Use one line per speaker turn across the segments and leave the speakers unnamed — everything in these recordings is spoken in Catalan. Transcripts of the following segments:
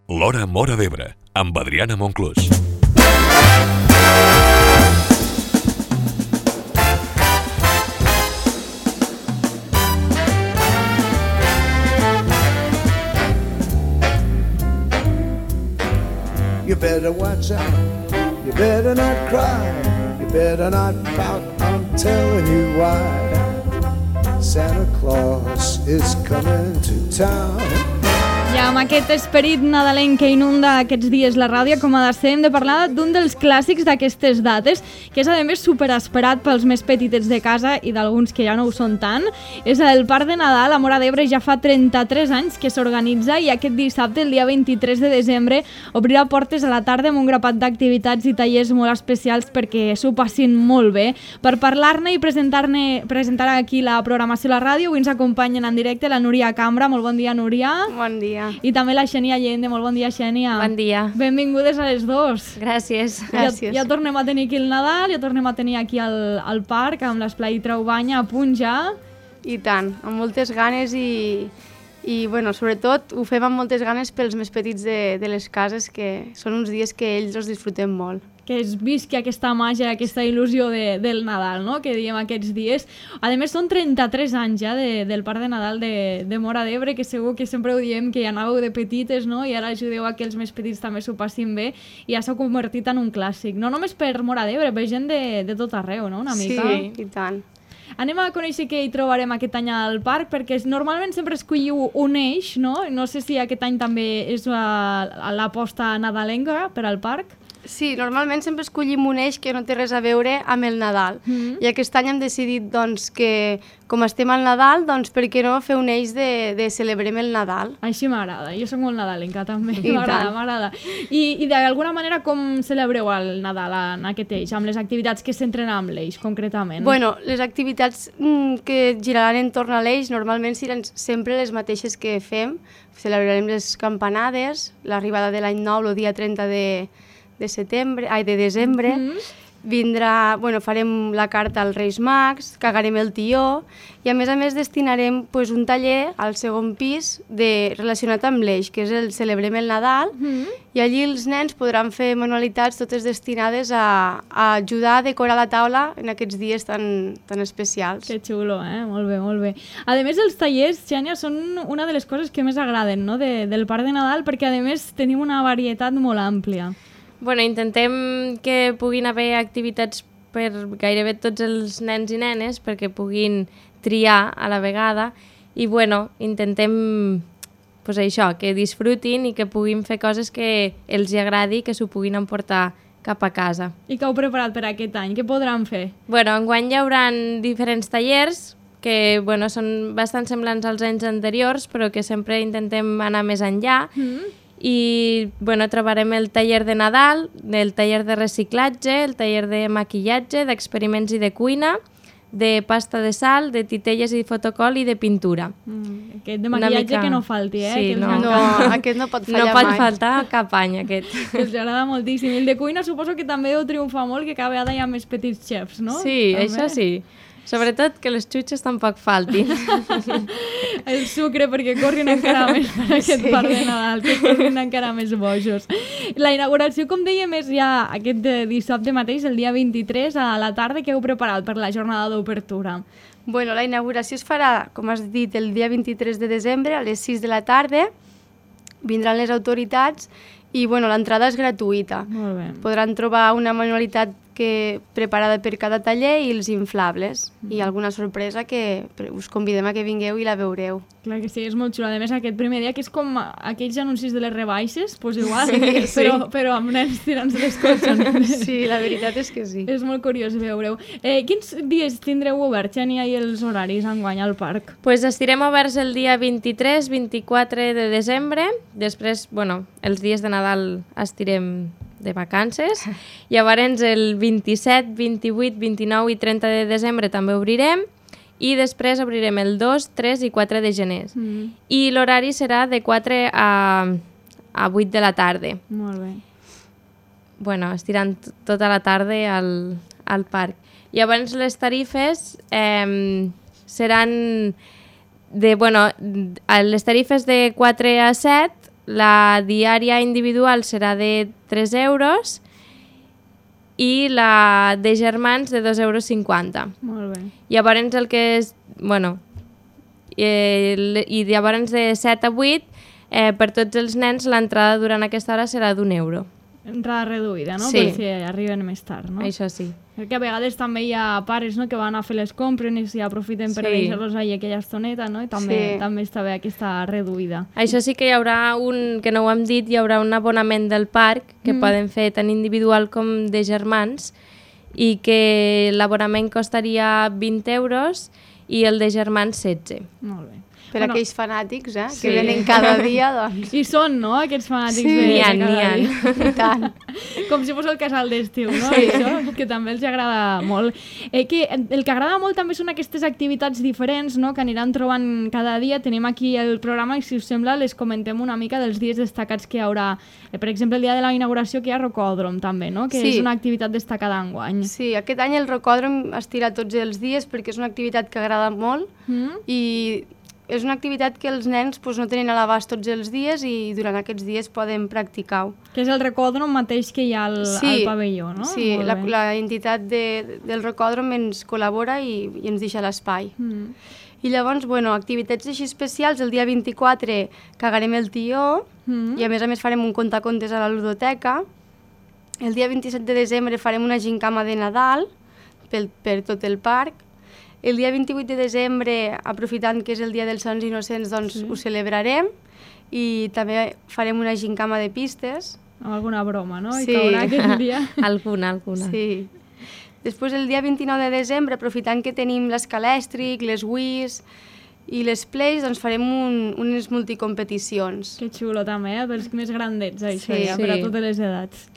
L'Hora Móra d'Ebre, amb Adriana Monclús.
You better watch out, you better not cry, you better not pout, I'm telling you why. Santa Claus is coming to town.
I amb aquest esperit nadalenc que inunda aquests dies la ràdio, com a de hem de parlar d'un dels clàssics d'aquestes dates, que és a més superesperat pels més petitets de casa i d'alguns que ja no ho són tant. És el Parc de Nadal a Móra d'Ebre, ja fa 33 anys que s'organitza i aquest dissabte, el dia 23 de desembre, obrirà portes a la tarda amb un grapat d'activitats i tallers molt especials perquè s'ho passin molt bé. Per parlar-ne i presentar aquí la programació a la ràdio, avui ens acompanyen en directe la Núria Cambra. Molt bon dia, Núria.
Bon dia.
I també la Xènia Allende. Molt bon dia, Xènia.
Bon dia.
Benvingudes a les dos.
Gràcies.
Ja tornem a tenir aquí el Nadal, ja tornem a tenir aquí al parc, amb l'Esplai Traubanya a punt ja.
I tant, amb moltes ganes i bueno, sobretot ho fem amb moltes ganes pels més petits de les cases, que són uns dies que ells els disfrutem molt.
Que es visqui aquesta màgia, aquesta il·lusió del Nadal, no?, que diem aquests dies. A més, són 33 anys ja del Parc de Nadal de Móra d'Ebre, que segur que sempre ho diem, que ja anàveu de petites, no?, i ara ajudeu a que els més petits també s'ho passin bé, i ja s'ha convertit en un clàssic. No només per Móra d'Ebre, per gent de tot arreu, no?, una mica.
Sí, i tant.
Anem a conèixer què hi trobarem aquest any al parc, perquè normalment sempre escolliu un eix, no? No sé si aquest any també és l'aposta nadalenca per al parc.
Sí, normalment sempre escollim un eix que no té res a veure amb el Nadal. I aquest any hem decidit doncs, que, com estem al Nadal, doncs per què no fer un eix de celebrem el Nadal?
Així m'agrada, jo soc molt nadalenca també,
I
m'agrada. I d'alguna manera com celebreu el Nadal en aquest eix, amb les activitats que s'entren amb l'eix, concretament?
Bueno, les activitats que giraran entorn a l'eix normalment seran sempre les mateixes que fem. Celebrarem les campanades, l'arribada de l'any nou, el dia 30 de desembre. Vindrà, bueno, farem la carta als Reis Mags, cagarem el tió i a més destinarem pues, un taller al segon pis relacionat amb l'eix, que és el Celebrem el Nadal, i allí els nens podran fer manualitats totes destinades a ajudar a decorar la taula en aquests dies tan especials.
Que xulo, molt bé, molt bé. A més, els tallers, Xènia, són una de les coses que més agraden, no?, del Parc de Nadal, perquè a més tenim una varietat molt àmplia.
Bueno, intentem que puguin haver activitats per gairebé tots els nens i nenes perquè puguin triar a la vegada i bueno, intentem pues això, que disfrutin i que puguin fer coses que els agradi, que s'ho puguin emportar cap a casa.
I què heu preparat per aquest any? Què podran fer?
Bueno, enguany hi haurà diferents tallers que bueno, són bastant semblants als anys anteriors però que sempre intentem anar més enllà. I bueno, trobarem el taller de Nadal, el taller de reciclatge, el taller de maquillatge, d'experiments i de cuina, de pasta de sal, de titelles i fotocol i de pintura.
Aquest de maquillatge que no falti,
Sí,
no, aquest no pot fallar mai.
No pot faltar cap any, aquest.
Els agrada moltíssim. I el de cuina suposo que també deu triomfar molt, que cada vegada hi ha més petits xefs, no?
Sí,
també.
Això sí. Sobretot que les xutxes tampoc faltin.
El sucre, perquè corrin encara més per aquest Parc de Nadal, que corrin encara més bojos. La inauguració, com dèiem, és ja aquest dissabte mateix, el dia 23, a la tarda, que heu preparat per la jornada d'obertura.
Bueno, la inauguració es farà, com has dit, el dia 23 de desembre a les 6 de la tarda. Vindran les autoritats i bueno, l'entrada és gratuïta.
Molt bé.
Podran trobar una manualitat preparada per cada taller i els inflables i alguna sorpresa que us convidem a que vingueu i la veureu.
Clar que sí, és molt xulo. A més, aquest primer dia, que és com aquells anuncis de les rebaixes, doncs igual,
sí.
Però amb nens tirant-se les cotxes.
Sí, la veritat és que sí.
És molt curiós veure-ho. Quins dies tindreu obert, Xènia, i els horaris enguany al parc?
Pues estirem oberts el dia 23, 24 de desembre. Després, bueno, els dies de Nadal estirem de vacances. Llavors el 27, 28, 29 i 30 de desembre també obrirem i després obrirem el 2, 3 i 4 de gener. I l'horari serà de 4 a 8 de la tarda.
Molt bé.
Bueno, estirant tota la tarda al parc. Llavors les tarifes seran les tarifes de 4 a 7 la diària individual serà de 3 euros i la de germans de 2,50 euros.
Molt bé.
Llavors el que és... Bueno, i llavors de 7 a 8, per tots els nens l'entrada durant aquesta hora serà d'1 euro.
Entrada reduïda, no?
Sí.
Per si arriben més tard, no?
Això sí.
Perquè a vegades també hi ha pares, no?, que van a fer les compres i si aprofiten per deixar-los ahí aquella estoneta, no? I també està bé aquesta reduïda.
Això sí que hi haurà que no ho hem dit, hi haurà un abonament del parc que poden fer tant individual com de germans i que l'abonament costaria 20 euros i el de germans 16.
Molt bé.
Per aquells fanàtics, que venen cada dia, doncs...
I són, no?, aquests fanàtics de
N'hi ha.
I tant.
Com si fos el casal d'estiu, no? Això, que també els agrada molt. Que el que agrada molt també són aquestes activitats diferents, no?, que aniran trobant cada dia. Tenim aquí el programa i, si us sembla, les comentem una mica dels dies destacats que hi haurà. Per exemple, el dia de la inauguració que hi ha rocòdrom, també, no?, que és una activitat destacada enguany.
Sí, aquest any el rocòdrom es tira tots els dies perquè és una activitat que agrada molt i és una activitat que els nens no tenen a l'abast tots els dies i durant aquests dies poden practicar-ho.
Que és el rocòdrom mateix que hi ha al pavelló, no?
Sí, la entitat del rocòdrom ens col·labora i ens deixa l'espai. I llavors, activitats així especials, el dia 24 cagarem el tió i a més farem un contacontes a la ludoteca. El dia 27 de desembre farem una gincama de Nadal per tot el parc. El dia 28 de desembre, aprofitant que és el dia dels Sants Innocents, doncs ho celebrarem i també farem una gincama de pistes.
Amb alguna broma, no?
Sí.
I caurà aquest dia.
Alguna.
Sí. Després, el dia 29 de desembre, aprofitant que tenim l'escalèstric, les Wiis i les Plays, doncs farem unes multicompeticions.
Que xulo també, pels més grandets, això,
Sí.
per a totes les edats.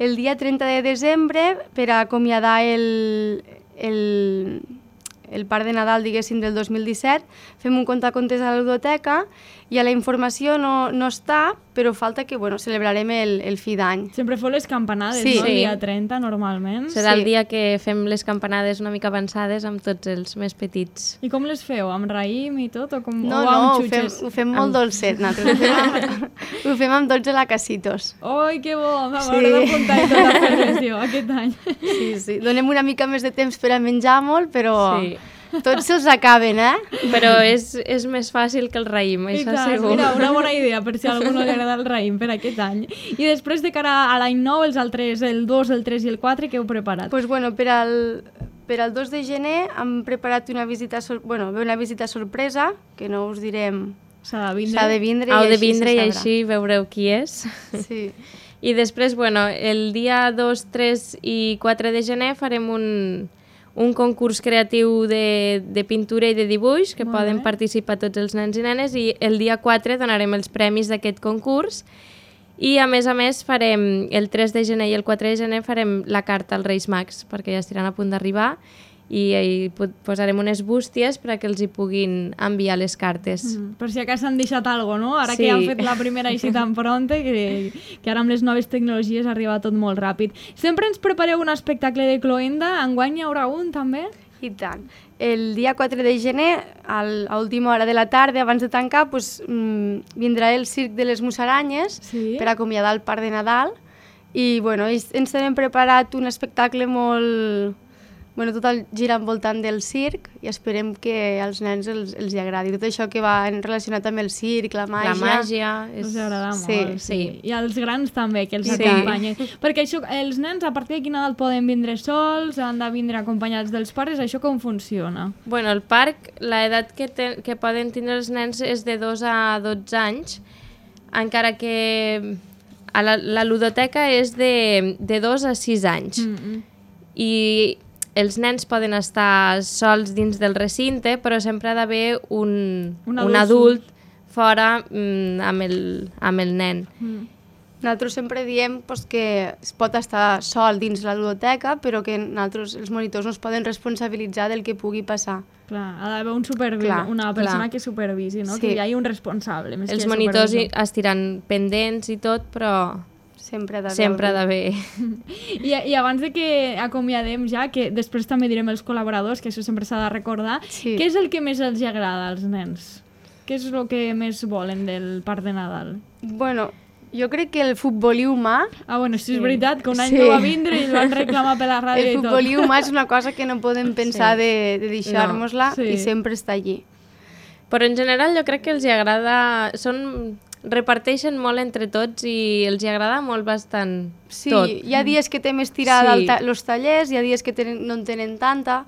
El dia 30 de desembre, per acomiadar el parc de Nadal, diguéssim, del 2017, fem un contacontes a la ludoteca i a la informació no està, però falta que, celebrarem el fi d'any.
Sempre feu les campanades,
Sí.
no? El dia 30, normalment.
Serà el dia que fem les campanades una mica avançades amb tots els més petits.
I com les feu? Amb raïm i tot? O com,
No,
o amb
ho
xutxes?
fem molt dolcet, nosaltres. Ho fem amb 12 lacasitos.
Oi, que bo! M'hauré d'apuntar i tot a fer-les jo aquest any.
Sí. Donem una mica més de temps per a menjar molt, però
Sí.
tots se'ls acaben,
Però és més fàcil que el raïm,
I
això
tant,
segur.
mira, una bona idea per si a algú no li agrada el raïm per aquest any. I després, de cara a l'any nou, els altres, el 2, el 3 i el 4, què heu preparat?
Pues per al 2 de gener hem preparat una visita sorpresa, que no us direm,
S'ha de vindre.
s'ha de vindre
Heu
i
de
així
vindre
se
i
sabrà.
així veureu qui és.
Sí.
I després, el dia 2, 3 i 4 de gener farem un concurs creatiu de pintura i de dibuix que
Molt
poden
bé.
participar tots els nens i nenes i el dia 4 donarem els premis d'aquest concurs i a més farem el 3 de gener i el 4 de gener farem la carta als Reis Mags perquè ja estiran a punt d'arribar i posarem unes bústies perquè els hi puguin enviar les cartes.
Per si acaso han deixat alguna cosa, no? Ara
Sí.
que han fet la primera així tan pronta, que ara amb les noves tecnologies arriba tot molt ràpid. Sempre ens prepareu un espectacle de cloenda, enguany hi haurà un també?
I tant. El dia 4 de gener, a última hora de la tarda, abans de tancar, vindrà el Circ de les Musaranyes per acomiadar el parc de Nadal i ens tenim preparat un espectacle molt... tot el gira envoltant del circ i esperem que als nens els hi agradi. Tot això que va relacionat amb el circ, la màgia...
La màgia
Us agrada molt,
sí.
I als grans també, que els
Sí.
acompanyen. Perquè això, els nens a partir de quina edat poden vindre sols, han de vindre acompanyats dels pares, això com funciona?
Bueno, el parc, l'edat que poden tindre els nens és de 2 a 12 anys, encara que la ludoteca és de 2 a 6 anys. I els nens poden estar sols dins del recinte, però sempre ha d'haver un adult fora amb el nen.
Nosaltres sempre diem que es pot estar sol dins la ludoteca, però que els monitors no es poden responsabilitzar del que pugui passar.
Clar, ha d'haver una persona que supervisi, no?
Sí.
Que hi hagi un responsable. Més
Els
que
monitors
supervisor.
estiran pendents i tot, però
Sempre ha
d'haver...
I abans de que acomiadem ja, que després també direm els col·laboradors, que això sempre s'ha de recordar,
Sí.
què és el que més els agrada als nens? Què és el que més volen del parc de Nadal?
Bueno, jo crec que el futbolí humà...
Ah, bueno, sí, és veritat, que un any no va vindre i el van reclamar per la ràdio i tot.
El futbolí humà és una cosa que no podem pensar de deixar-nos-la
No, sí.
i sempre està allí.
Però en general jo crec que els hi agrada... reparteixen molt entre tots i els hi agrada molt bastant
Sí,
tot.
hi ha dies que té més tirada
Sí.
els tallers, hi ha dies que no en tenen tanta,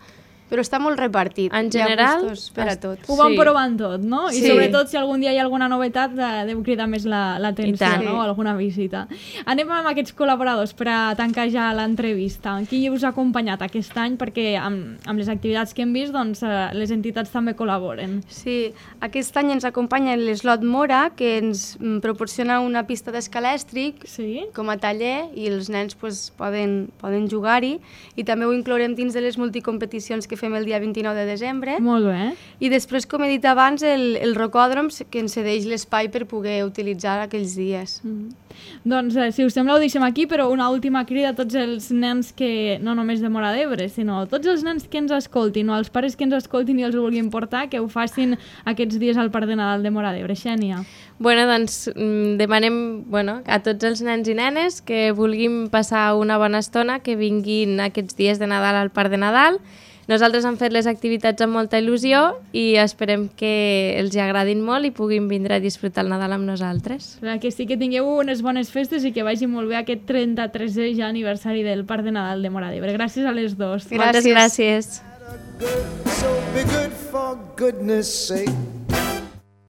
però està molt repartit.
En
Hi ha
general,
gustos per a tots.
Ho van
Sí.
provant tot, no? I
Sí.
sobretot si algun dia hi ha alguna novetat deu cridar més l'atenció,
I tant.
no? Alguna visita. Anem amb aquests col·laboradors per a tancar ja l'entrevista. Qui us ha acompanyat aquest any? Perquè amb les activitats que hem vist, doncs, les entitats també col·laboren.
Sí, aquest any ens acompanya l'Eslot Mora, que ens proporciona una pista d'escalèstric
Sí?
com a taller i els nens pues, poden jugar-hi, i també ho inclourem dins de les multicompeticions que fem el dia 29 de desembre.
Molt bé.
I després, com he dit abans, el rocòdrom que ens cedeix l'espai per poder utilitzar aquells dies.
Doncs, si us sembla, ho deixem aquí, però una última crida a tots els nens que, no només de Móra d'Ebre, sinó tots els nens que ens escoltin, o els pares que ens escoltin i els vulguin portar, que ho facin aquests dies al Parc de Nadal de Móra d'Ebre. Xènia.
Bueno, doncs demanem a tots els nens i nenes que vulguin passar una bona estona, que vinguin aquests dies de Nadal al Parc de Nadal. Nosaltres hem fet les activitats amb molta il·lusió i esperem que els hi agradin molt i puguin vindre a disfrutar el Nadal amb nosaltres.
Que sí que tingueu unes bones festes i que vagi molt bé aquest 33è ja aniversari del Parc de Nadal de Móra d'Ebre. Gràcies a les dues.
Moltes gràcies.
So be good for goodness sake.